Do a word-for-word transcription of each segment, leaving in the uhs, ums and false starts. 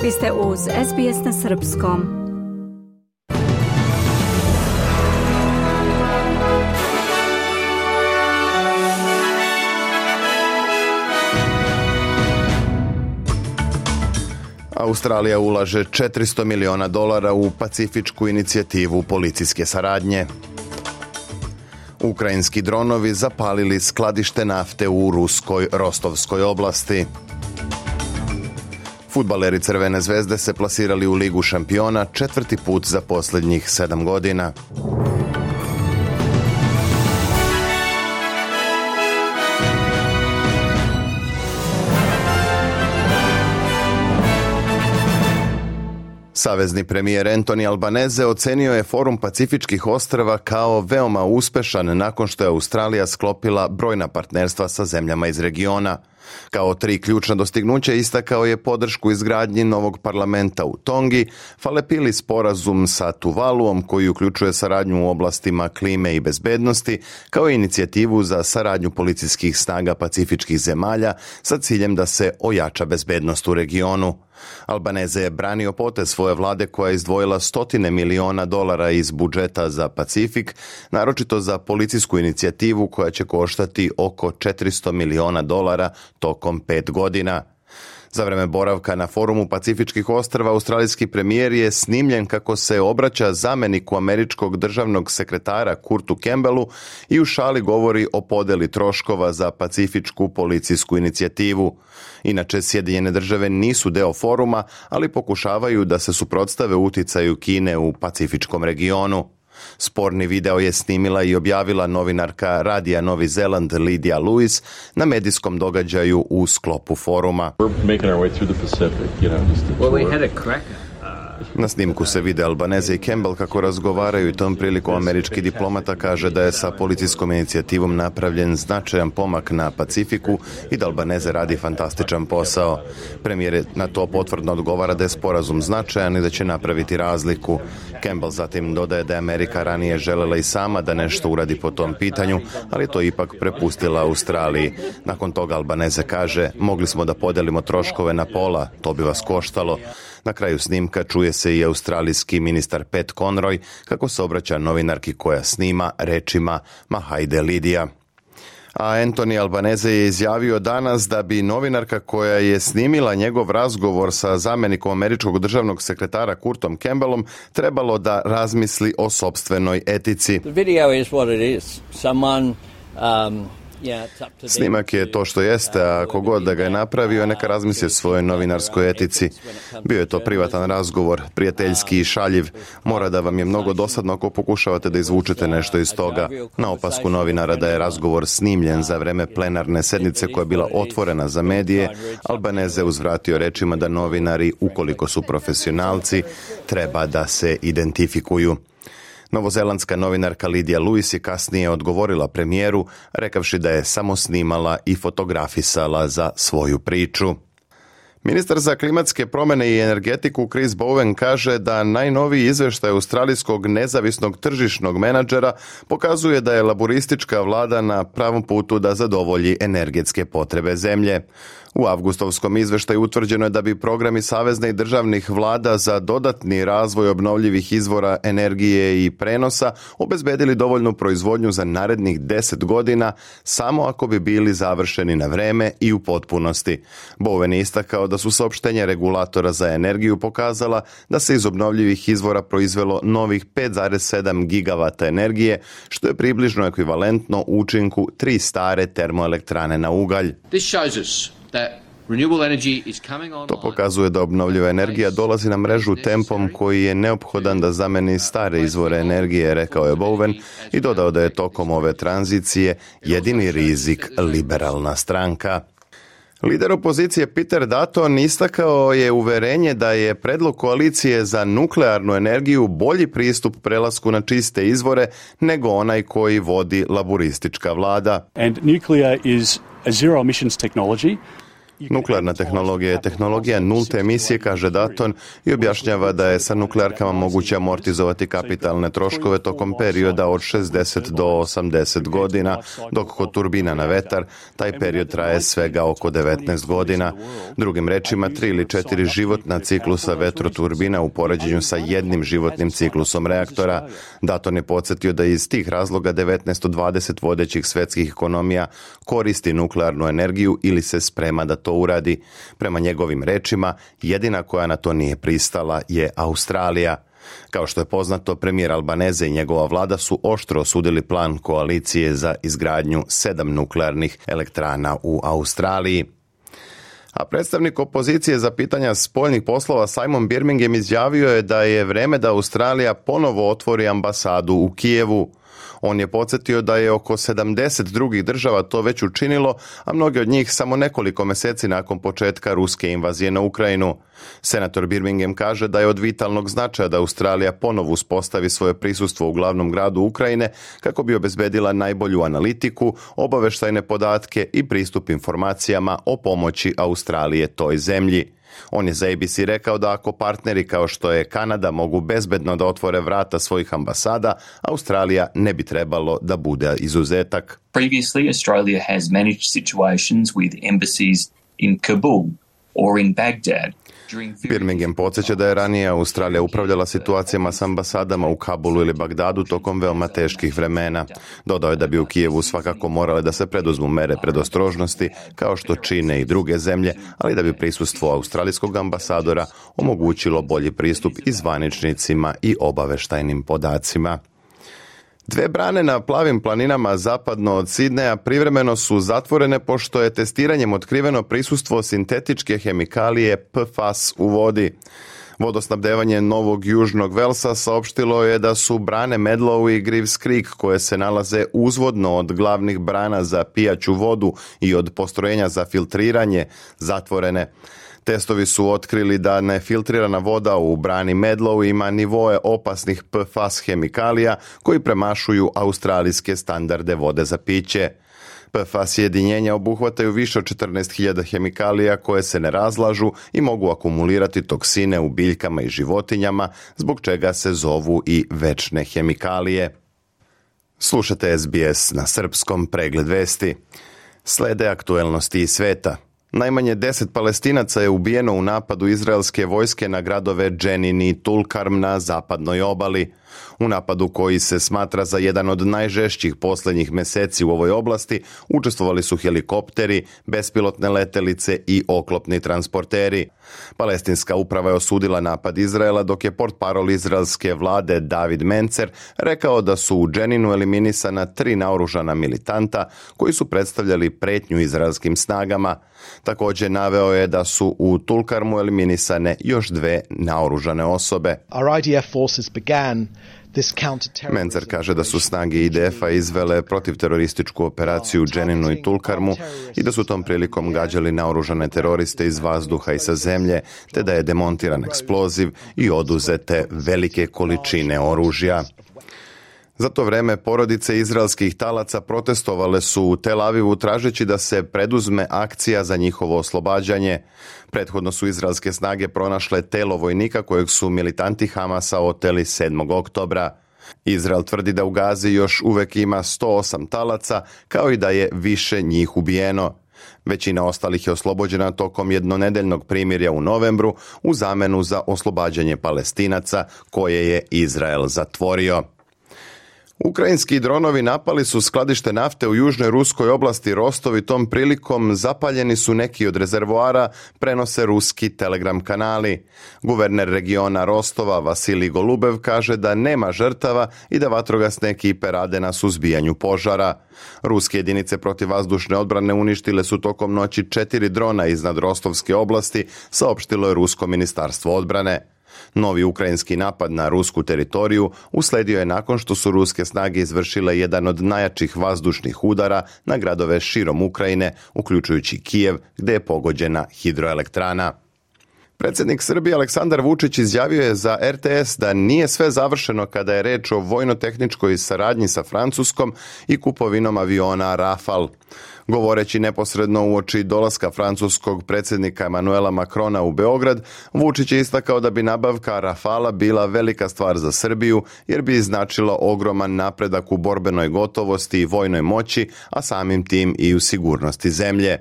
Vi ste uz S B S na srpskom. Australija ulaže četiristo miliona dolara u pacifičku inicijativu policijske saradnje. Ukrajinski dronovi zapalili skladište nafte u ruskoj Rostovskoj oblasti. Fudbaleri Crvene zvezde se plasirali u Ligu šampiona četvrti put za posljednjih sedam godina. Savezni premijer Anthony Albanese ocenio je Forum Pacifičkih ostrva kao veoma uspešan nakon što je Australija sklopila brojna partnerstva sa zemljama iz regiona. Kao tri ključna dostignuća istakao je podršku izgradnji novog parlamenta u Tongi, Falepili sporazum sa Tuvaluom koji uključuje saradnju u oblastima klime i bezbednosti, kao i inicijativu za saradnju policijskih snaga pacifičkih zemalja sa ciljem da se ojača bezbednost u regionu. Albanese je branio potez svoje vlade koja je izdvojila stotine miliona dolara iz budžeta za Pacifik, naročito za policijsku inicijativu koja će koštati oko četiristo miliona dolara tokom pet godina. Za vreme boravka na Forumu Pacifičkih ostrva australijski premijer je snimljen kako se obraća zamjeniku američkog državnog sekretara Kurtu Campbellu i u šali govori o podeli troškova za pacifičku policijsku inicijativu. Inače, Sjedinjene države nisu deo foruma, ali pokušavaju da se suprotstave uticaju Kine u pacifičkom regionu. Sporni video je snimila i objavila novinarka Radija Novi Zeland Lydia Lewis na medijskom događaju u sklopu foruma. Na snimku se vide Albanese i Campbell kako razgovaraju i tom prilikom američki diplomata kaže da je sa policijskom inicijativom napravljen značajan pomak na Pacifiku i da Albanese radi fantastičan posao. Premijer na to potvrdno odgovara da je sporazum značajan i da će napraviti razliku. Campbell zatim dodaje da je Amerika ranije želela i sama da nešto uradi po tom pitanju, ali to ipak prepustila Australiji. Nakon toga Albanese kaže, mogli smo da podelimo troškove na pola, to bi vas koštalo. Na kraju snimka čuje se i australijski ministar Pat Conroy kako se obraća novinarki koja snima rečima "Ma hajde Lidija". A Anthony Albanese je izjavio danas da bi novinarka koja je snimila njegov razgovor sa zamjenikom američkog državnog sekretara Kurtom Campbellom trebalo da razmisli o sopstvenoj etici. The video is what it is. Someone um Snimak je to što jeste, a ako god da ga je napravio, neka razmisli o svojoj novinarskoj etici. Bio je to privatan razgovor, prijateljski i šaljiv. Mora da vam je mnogo dosadno ako pokušavate da izvučete nešto iz toga. Na opasku novinara da je razgovor snimljen za vreme plenarne sednice koja je bila otvorena za medije, Albanese uzvratio rečima da novinari, ukoliko su profesionalci, treba da se identifikuju. Novozelandska novinarka Lydia Lewis je kasnije odgovorila premijeru, rekavši da je samo snimala i fotografisala za svoju priču. Ministar za klimatske promjene i energetiku Chris Bowen kaže da najnoviji izvještaj australijskog nezavisnog tržišnog menadžera pokazuje da je laburistička vlada na pravom putu da zadovolji energetske potrebe zemlje. U avgustovskom izvještaju utvrđeno je da bi programi savezne i državnih vlada za dodatni razvoj obnovljivih izvora energije i prenosa obezbedili dovoljnu proizvodnju za narednih deset godina samo ako bi bili završeni na vreme i u potpunosti. Bowen je istakao da su saopštenja regulatora za energiju pokazala da se iz obnovljivih izvora proizvelo novih pet zarez sedam gigavata energije, što je približno ekvivalentno učinku tri stare termoelektrane na ugalj. To pokazuje da obnovljiva energija dolazi na mrežu tempom koji je neophodan da zameni stare izvore energije, rekao je Bowen i dodao da je tokom ove tranzicije jedini rizik liberalna stranka. Lider opozicije Peter Dutton istakao je uverenje da je predlog koalicije za nuklearnu energiju bolji pristup prelasku na čiste izvore nego onaj koji vodi laburistička vlada. And nuclear is a zero emissions technology. Nuklearna tehnologija je tehnologija nulte emisije, kaže Dutton, i objašnjava da je sa nuklearkama moguće amortizovati kapitalne troškove tokom perioda od šezdeset do osamdeset godina, dok kod turbina na vetar taj period traje svega oko devetnaest godina. Drugim rečima, tri ili četiri životna ciklusa vetroturbina u poređenju sa jednim životnim ciklusom reaktora. Dutton je podsjetio da iz tih razloga devetnaest do dvadeset vodećih svetskih ekonomija koristi nuklearnu energiju ili se sprema da to uradi. Prema njegovim rečima, jedina koja na to nije pristala je Australija. Kao što je poznato, premijer Albaneze i njegova vlada su oštro osudili plan koalicije za izgradnju sedam nuklearnih elektrana u Australiji. A predstavnik opozicije za pitanja spoljnih poslova Simon Birmingham izjavio je da je vreme da Australija ponovo otvori ambasadu u Kijevu. On je podsjetio da je oko sedamdeset drugih država to već učinilo, a mnogi od njih samo nekoliko mjeseci nakon početka ruske invazije na Ukrajinu. Senator Birmingham kaže da je od vitalnog značaja da Australija ponovo uspostavi svoje prisustvo u glavnom gradu Ukrajine kako bi obezbedila najbolju analitiku, obavještajne podatke i pristup informacijama o pomoći Australije toj zemlji. On je za A B C rekao da ako partneri kao što je Kanada mogu bezbedno da otvore vrata svojih ambasada, Australija ne bi trebalo da bude izuzetak. Previously, Australia has managed situations with embassies in Kabul or in Baghdad. Birmingham podsjeća da je ranije Australija upravljala situacijama s ambasadama u Kabulu ili Bagdadu tokom veoma teških vremena. Dodao je da bi u Kijevu svakako morale da se preduzmu mere predostrožnosti, kao što čine i druge zemlje, ali da bi prisustvo australijskog ambasadora omogućilo bolji pristup i zvaničnicima i obaveštajnim podacima. Dve brane na plavim planinama zapadno od Sidneja privremeno su zatvorene pošto je testiranjem otkriveno prisustvo sintetičke hemikalije P F A S u vodi. Vodosnabdevanje Novog Južnog Velsa saopštilo je da su brane Medlow i Greaves Creek, koje se nalaze uzvodno od glavnih brana za pijaću vodu i od postrojenja za filtriranje, zatvorene. Testovi su otkrili da nefiltrirana voda u brani Medlow ima nivoe opasnih P F A S hemikalija koji premašuju australijske standarde vode za piće. P F A S jedinjenja obuhvataju više od četrnaest hiljada hemikalija koje se ne razlažu i mogu akumulirati toksine u biljkama i životinjama, zbog čega se zovu i večne hemikalije. Slušate S B S na srpskom, pregled vesti. Slede aktuelnosti iz sveta. Najmanje deset Palestinaca je ubijeno u napadu izraelske vojske na gradove Dženin i Tulkarm na zapadnoj obali. U napadu, koji se smatra za jedan od najžešćih posljednjih mjeseci u ovoj oblasti, učestvovali su helikopteri, bespilotne letelice i oklopni transporteri. Palestinska uprava je osudila napad Izraela, dok je portparol izraelske vlade David Mencer rekao da su u Dženinu eliminisana tri naoružana militanta koji su predstavljali pretnju izraelskim snagama. Također naveo je da su u Tulkarmu eliminisane još dve naoružane osobe. Our I D F forces began Mencer kaže da su snage I D F-a izvele protivterorističku operaciju u Dženinu i Tulkarmu i da su tom prilikom gađali naoružane teroriste iz vazduha i sa zemlje, te da je demontiran eksploziv i oduzete velike količine oružja. Za to vreme porodice izraelskih talaca protestovale su u Tel Avivu tražeći da se preduzme akcija za njihovo oslobađanje. Prethodno su izraelske snage pronašle telo vojnika kojeg su militanti Hamasa oteli sedmog oktobra. Izrael tvrdi da u Gazi još uvek ima sto osam talaca, kao i da je više njih ubijeno. Većina ostalih je oslobođena tokom jednonedeljnog primirja u novembru u zamenu za oslobađanje Palestinaca koje je Izrael zatvorio. Ukrajinski dronovi napali su skladište nafte u južnoj ruskoj oblasti Rostov i tom prilikom zapaljeni su neki od rezervoara, prenose ruski telegram kanali. Guverner regiona Rostova Vasilij Golubev kaže da nema žrtava i da vatrogasne ekipe rade na suzbijanju požara. Ruske jedinice protivvazdušne odbrane uništile su tokom noći četiri drona iznad Rostovske oblasti, saopštilo je Rusko ministarstvo odbrane. Novi ukrajinski napad na rusku teritoriju usledio je nakon što su ruske snage izvršile jedan od najjačih vazdušnih udara na gradove širom Ukrajine, uključujući Kijev, gdje je pogođena hidroelektrana. Predsjednik Srbije Aleksandar Vučić izjavio je za er te es da nije sve završeno kada je reč o vojno-tehničkoj saradnji sa Francuskom i kupovinom aviona Rafale. Govoreći neposredno uoči dolaska francuskog predsjednika Emmanuela Macrona u Beograd, Vučić je istakao da bi nabavka Rafala bila velika stvar za Srbiju jer bi značilo ogroman napredak u borbenoj gotovosti i vojnoj moći, a samim tim i u sigurnosti zemlje.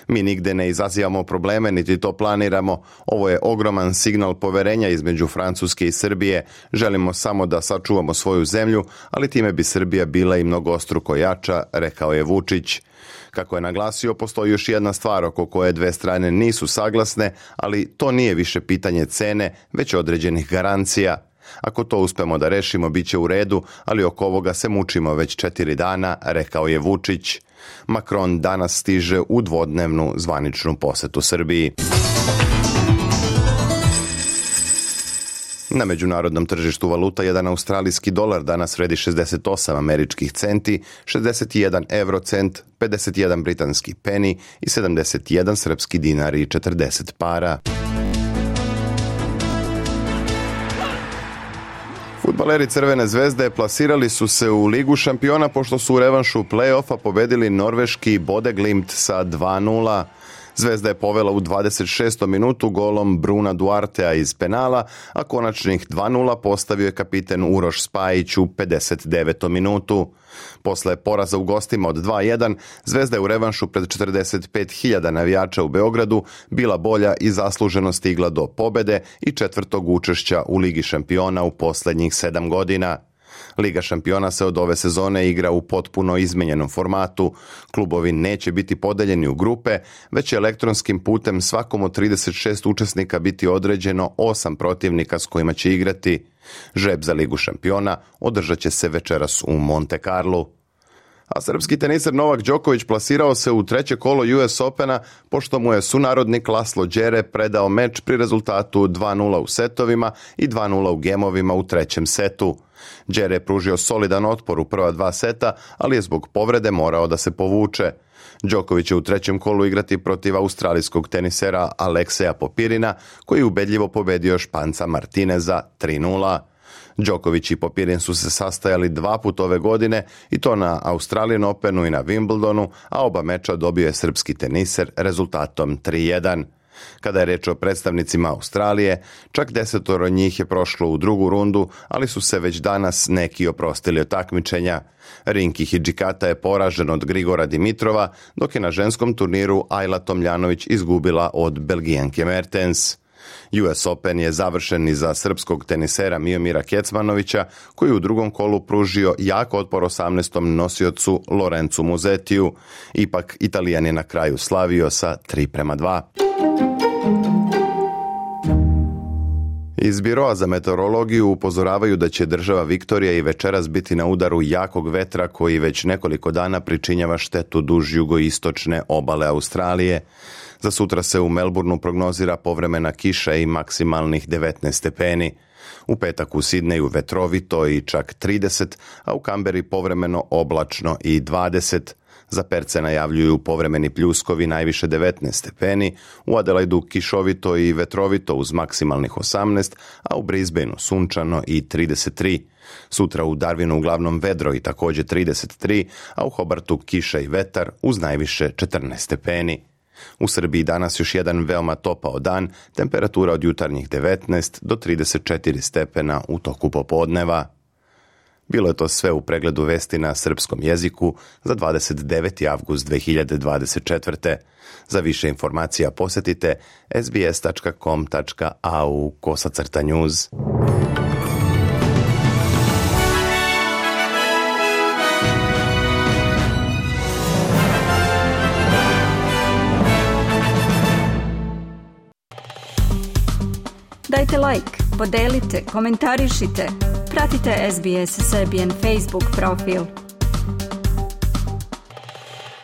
Mi nigde ne izazivamo probleme, niti to planiramo. Ovo je ogroman signal poverenja između Francuske i Srbije. Želimo samo da sačuvamo svoju zemlju, ali time bi Srbija bila i mnogostruko jača, rekao je Vučić. Kako je naglasio, postoji još jedna stvar oko koje dve strane nisu saglasne, ali to nije više pitanje cene, već određenih garancija. Ako to uspemo da rešimo, bit će u redu, ali oko ovoga se mučimo već četiri dana, rekao je Vučić. Macron danas stiže u dvodnevnu zvaničnu posetu Srbiji. Na međunarodnom tržištu valuta jedan australijski dolar danas vredi šezdeset osam američkih centi, šezdeset jedan eurocent, pedeset jedan britanski peni i sedamdeset jedan srpski dinar i četrdeset para. Fudbaleri Crvene zvezde plasirali su se u Ligu šampiona pošto su u revanšu play-offa pobedili norveški Bodø/Glimt sa dva nula. Zvezda je povela u dvadeset šestom minutu golom Bruna Duartea iz penala, a konačnih dva nula postavio je kapiten Uroš Spajić u pedeset devetom minutu. Posle poraza u gostima od dva jedan, Zvezda je u revanšu pred četrdeset pet hiljada navijača u Beogradu bila bolja i zasluženo stigla do pobede i četvrtog učešća u Ligi šampiona u posljednjih sedam godina. Liga šampiona se od ove sezone igra u potpuno izmenjenom formatu. Klubovi neće biti podeljeni u grupe, već će elektronskim putem svakom od trideset šest učesnika biti određeno osam protivnika s kojima će igrati. Žreb za Ligu šampiona održat će se večeras u Monte Carlu. A srpski teniser Novak Đoković plasirao se u treće kolo U S Opena pošto mu je sunarodnik Laslo Đere predao meč pri rezultatu dva nula u setovima i dva nula u gemovima u trećem setu. Đere je pružio solidan otpor u prva dva seta, ali je zbog povrede morao da se povuče. Đoković će u trećem kolu igrati protiv australijskog tenisera Alekseja Popirina, koji je ubedljivo pobedio Španca Martineza tri nula. Đoković i Popirin su se sastajali dva put ove godine i to na Australian Openu i na Wimbledonu, a oba meča dobio je srpski teniser rezultatom tri jedan. Kada je reč o predstavnicima Australije, čak desetoro njih je prošlo u drugu rundu, ali su se već danas neki oprostili od takmičenja. Rinki Hidžikata je poražen od Grigora Dimitrova, dok je na ženskom turniru Ajla Tomljanović izgubila od Belgijanke Mertens. U S Open je završen i za srpskog tenisera Miomira Kecmanovića, koji u drugom kolu pružio jak otpor osamnaestom nosiocu Lorenzu Musetiju. Ipak Italijan je na kraju slavio sa tri prema dva. Iz Biroa za meteorologiju upozoravaju da će država Viktorija i večeras biti na udaru jakog vetra koji već nekoliko dana pričinjava štetu duž jugoistočne obale Australije. Za sutra se u Melbourneu prognozira povremena kiša i maksimalnih devetnaest stepeni. U petak u Sidneju vetrovito i čak trideset, a u Kamberi povremeno oblačno i dvadeset. Za Perce najavljuju povremeni pljuskovi najviše devetnaest stepeni, u Adelaidu kišovito i vetrovito uz maksimalnih osamnaest, a u Brisbaneu sunčano i trideset tri. Sutra u Darwinu uglavnom vedro i također trideset tri, a u Hobartu kiša i vetar uz najviše četrnaest stepeni. U Srbiji danas još jedan veoma topao dan, temperatura od jutarnjih devetnaest do trideset četiri stepena u toku popodneva. Bilo je to sve u pregledu vesti na srpskom jeziku za dvadeset deveti avgust dve hiljade dvadeset četvrte. Za više informacija posjetite es be es tačka com tačka a u kosacrta news. Dajte like, podelite, komentarišite. Pratite S B S Serbian Facebook profil.